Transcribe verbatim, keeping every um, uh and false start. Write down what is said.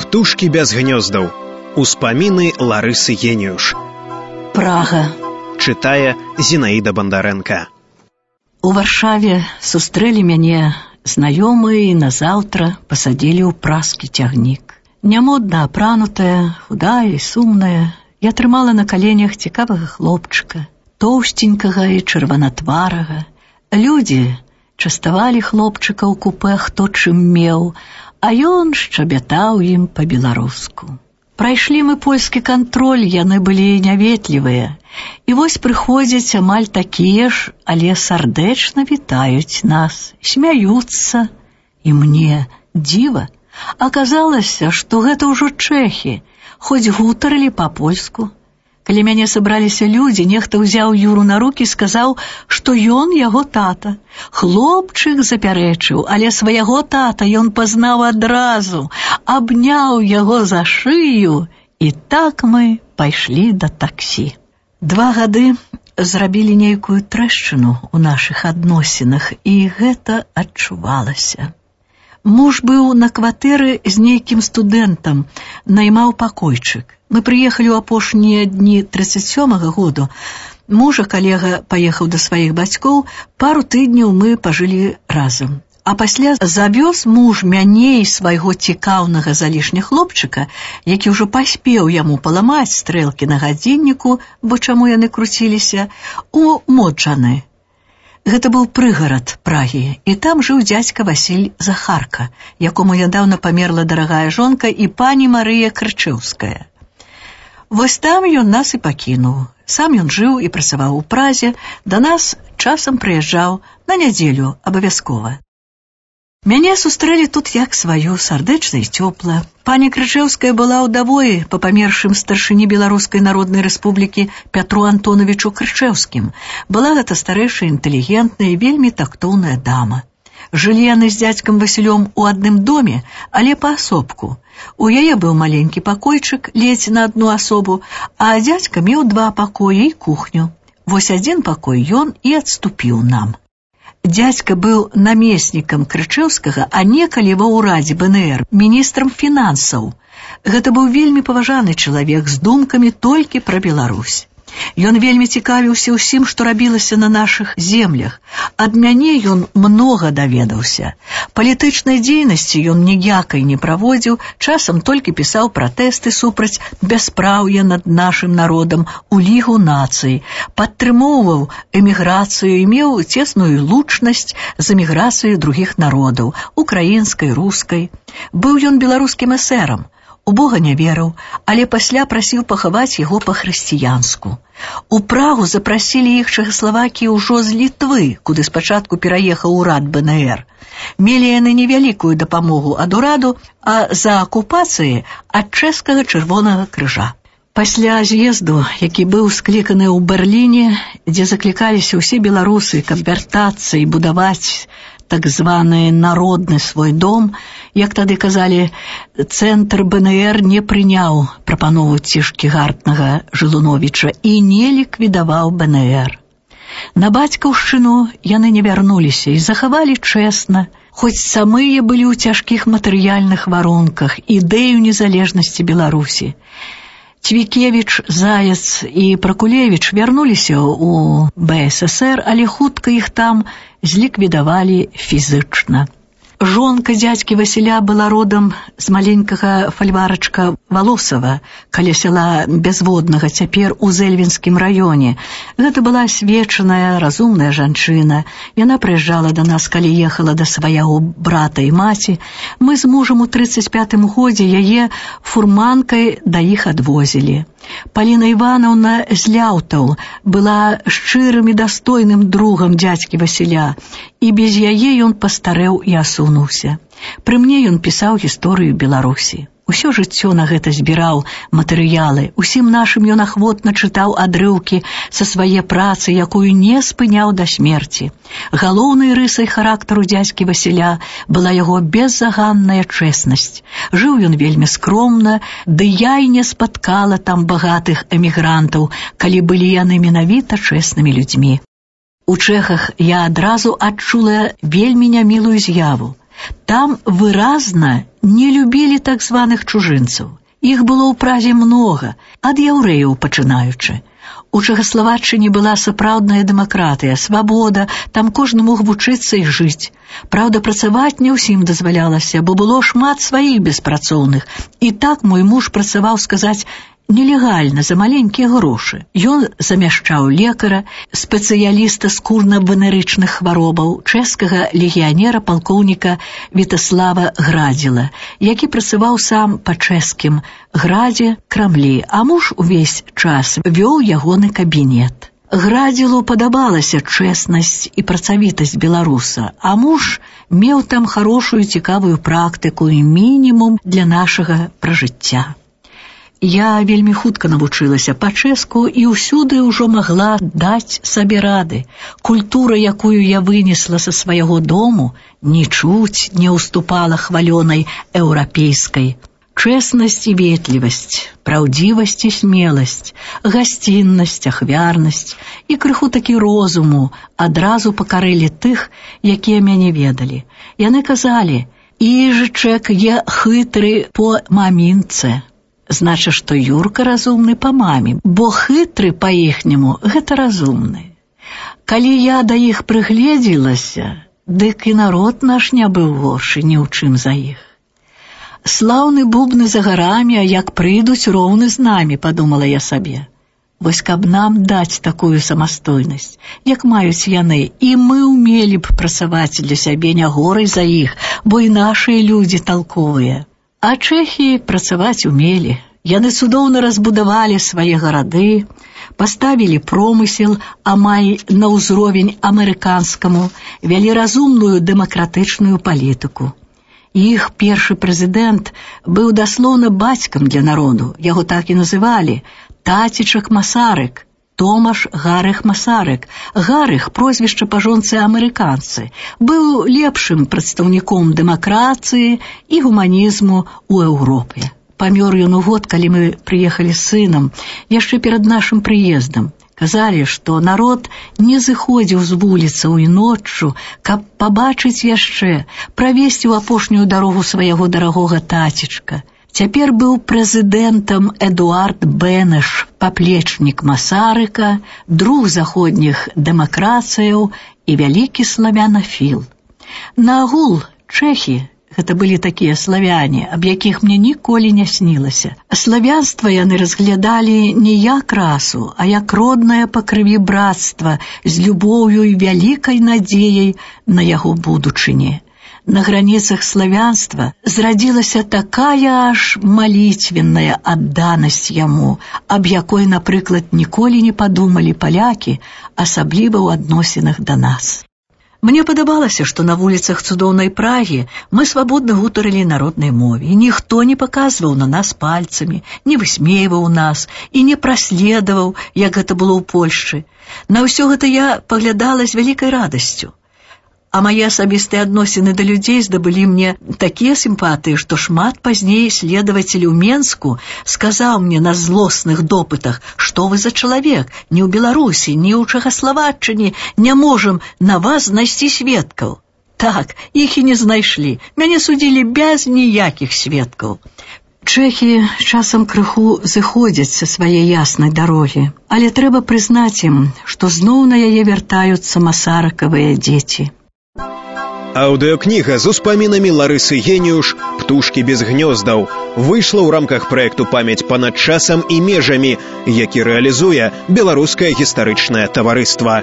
Птушкі без гнёздаў. Успаміны Ларысы Геніюш. Прага. Чытае Зінаіда Бандарэнка. У Варшаве сустрэлі мяне знаёмыя і назаўтра пасадзілі ў празкі цягнік. Нямодна апранутая, худая і сумная, я трымала на каленях цікавага хлопчыка, тоўсценькага і чырванатварага. Людзі частавалі хлопчыка ў купе хто чым меў, а ён шчабятаў ім па-беларуску. Прайшлі мы польскі кантроль, яны былі няветлівыя. І вось прыходзяць амаль такія ж, але сардэчна вітаюць нас, смяюцца. І мне дзіва. Аказалася, што гэта ўжо чэхі, хоць гутарылі па-польску. Калі мяне сабраліся людзі, нехта ўзяў Юру на рукі і сказаў, што ён яго тата. Хлопчык запярэчыў, але свайго тата ён пазнаў адразу, абняў яго за шыю, і так мы пайшлі да таксі. Два гады зрабілі нейкую трэшчыну ў нашых адносінах, і гэта адчувалася. Муж быў на кватэры з нейкім студэнтам, наймаў пакойчык. Мы прыехалі ў апошнія дні трыццаць сёмага году. Мужа калега паехаў да сваіх бацькоў, пару тыдняў мы пажылі разам. А пасля завёз муж мяне і свайго цікаўнага залішня хлопчыка, які ўжо паспеў яму паламаць стрэлкі на гадзінніку, бо чаму яны круціліся, у Моджаны. Гэта быў прыгарад Прагі, і там жыў дзядзька Васіль Захарка, якому нядаўна памерла дарагая жонка і пані Марыя Крычэўская. Вось там ён нас і пакінуў. Сам ён жыў і працаваў у Празе, да нас часам прыязджаў на нядзелю абавязкова. Мяне сустрэлі тут як сваю, сардэчна і цёпла. Пані Крычэўская была ўдавой па памершым старшыні Беларускай Народнай Рэспублікі Пятру Антоновичу Крычэўскім. Была гэта старэйшая, інтэлігентная і вельмі тактоўная дама. Жылі яны з дзядзькам Васілём у адным доме, але паасобку. У яе быў маленькі пакойчык, ледзь на адну асобу, а дзядзька меў два пакоі і кухню. Вось адзін пакой ён і адступіў нам. Дзядзька быў намеснікам Крычэўскага, а некалі ва ўрадзе бэ эн ер міністрам фінансаў. Гэта быў вельмі паважаны чалавек з думкамі толькі пра Беларусь. Ён вельмі цікавіўся ўсім, што рабілася на нашых землях. Ад мяне ён многа даведаўся. Палітычнай дзейнасці ён ніякай не праводзіў, часам толькі пісаў пратэсты супраць бяспраўя над нашым народам у Лігу нацый, падтрымоўваў эміграцыю і меў цесную лучнасць з эміграцыяй другіх народаў, украінскай, рускай. Быў ён беларускім эсэрам. У Бога не верыў, але пасля прасіў пахаваць яго па-хрысціянску. У Прагу запрасілі іх Чэхаславакіі ўжо з Літвы, куды спачатку пераехаў урад бэ эн ер. Мелі яны невялікую дапамогу ад ураду, а за акупацыі ад чэшскага чырвонага крыжа. Пасля з'езду, які быў скліканы ў Берліне, дзе заклікаліся ўсе беларусы, каб вяртацца і будаваць так званы народны свой дом, як тады казалі, цэнтр бэ эн ер не прыняў прапанову Цішкігартнага Жылуновіча і не ліквідаваў бэ эн ер. На бацькаўшчыну яны не вярнуліся і захавалі чэсна, хоць самыя былі ў цяжкіх матэрыяльных варунках ідэю незалежнасці Беларусі. Цвікевіч, Заяц і Пракулевіч вярнуліся ў бэ эс эс ер, але хутка іх там зліквідавалі фізычна. Жонка дзядзькі Васіля была родам з маленькага фальварачка Валосава, каля сяла Бязводнага, цяпер у Зэльвінскім раёне. Гэта была асвечаная, разумная жанчына. Яна прыязджала да нас, калі ехала да свайго брата і маці. Мы з мужам у трыццаць пятым годзе яе фурманкай да іх адвозілі. Паліна Іванаўна з Ляўтаў была шчырым і дастойным другам дзядзькі Васіля, і без яе ён пастарэў і асунуўся. Пры мне ён пісаў гісторыю Беларусі. Усё жыццё на гэта збіраў матэрыялы, усім нашым ён ахвотна чытаў адрыўкі са свае працы, якую не спыняў да смерці. Галоўнай рысай характару дзядзькі Васіля была яго беззаганная чэснасць. Жыў ён вельмі скромна, ды я і не спаткала там багатых эмігрантаў, калі былі яны менавіта чэснымі людзьмі. У Чэхах я адразу адчула вельмі нямілую з'яву. Там выразна не любілі так званых чужынцаў. Іх было ў Празе многа, ад яўрэяў пачынаючы. У Чэхаславаччыне была сапраўдная дэмакратыя, свабода, там кожны мог вучыцца і жыць. Праўда, працаваць не ўсім дазвалялася, бо было шмат сваіх беспрацоўных. І так мой муж працаваў, сказаць, нелегальна, за маленькія грошы. Ён замяшчаў лекара, спецыяліста скурна-венерычных хваробаў, чэшскага легіянера палкоўніка Вітаслава Градзіла, які працаваў сам па чэшскім Градзе, Крамлі, а муж увесь час вёў ягоны кабінет. Градзілу падабалася чэснасць і працавітасць беларуса, а муж меў там хорошую цікавую практыку і мінімум для нашага пражыцця. Я вельмі хутка навучылася па-чэшску і ўсюды ўжо магла даць сабе рады. Культура, якую я вынесла са свайго дому, нічуць не ўступала хвалёнай еўрапейскай. Чэснасць і ветлівасць, праўдзівасць і смеласць, гасціннасць, ахвярнасць і крыху такі розуму адразу пакарылі тых, якія мяне ведалі. Яны казалі, «Іжычэк є хитры по мамінце». Значыць, што Юрка разумны па маме, бо хитры па-іхняму гэта разумны. Калі я да іх прыгледзілася, дык і народ наш не быў горшы ні ў чым за іх. Слаўны бубны за гарамі, а як прыйдуць, роўны з намі, падумала я сабе. Вось каб нам даць такую самастойнасць, як маюць яны, і мы ўмелі б працаваць для сябе не горай за іх, бо і нашыя людзі талковыя. А чэхі працаваць умелі. Яны цудоўна разбудавалі свае гарады, паставілі промысел амаль на ўзровень амерыканскаму, вялі разумную дэмакратычную палітыку. Іх першы прэзідэнт быў даслоўна бацькам для народу, яго так і называлі Тацічак Масарык, Томаш Гарых Масарык. Гарых, прозвішча па жонцы амерыканцы, быў лепшым прадстаўніком дэмакратыі і гуманізму ў Еўропе. Памёр ён у год, калі мы прыехалі з сынам, яшчэ перад нашым прыездам. Казалі, што народ не зыходзіў з вуліцаў і ноччу, каб пабачыць яшчэ, правесці ў апошнюю дарогу свайго дарагога тацічка. Цяпер быў прэзідэнтам Эдуард Бенеш, паплечнік Масарыка, друг заходніх дэмакратыяў і вялікі славянафіл. Наагул чэхі гэта былі такія славяне, аб якіх мне ніколі не снілася. Славянства яны разглядалі не як расу, а як роднае па крыві братства з любоўю і вялікай надзеяй на яго будучыні. На граніцах славянства зрадзілася такая аж малітвенная адданасць яму, аб якой, напрыклад, ніколі не падумалі палякі, асабліва ў адносінах да нас. Мне падабалася, што на вуліцах цудоўнай Прагі мы свабодна гутарылі на роднай мове, і ніхто не паказваў на нас пальцамі, не высмейваў нас і не праследаваў, як гэта было ў Польшчы. На ўсё гэта я паглядала з вялікай радасцю. А мае асабістыя адносіны да людзей здабылі мне такія сімпатыі, што шмат пазней следавацель у Менску сказаў мне на злосных допытах, што вы за чалавек, ні ў Беларусі, ні ў Чэхаславаччыне не можам на вас знайсці сведкаў. Так, іх і не знайшлі, мяне судзілі без ніякіх сведкаў. Чэхі часам крыху зыходзяць са свае яснай дарогі, але трэба прызнаць ім, што зноў на яе вяртаюцца масарыкавыя дзеці. Аўдыёкніга з успамінамі Ларысы Геніюш «Птушкі без гнёздаў» выйшла ў рамках праекту «Памяць панад часам і межамі», які рэалізуе Беларускае гістарычнае таварыства.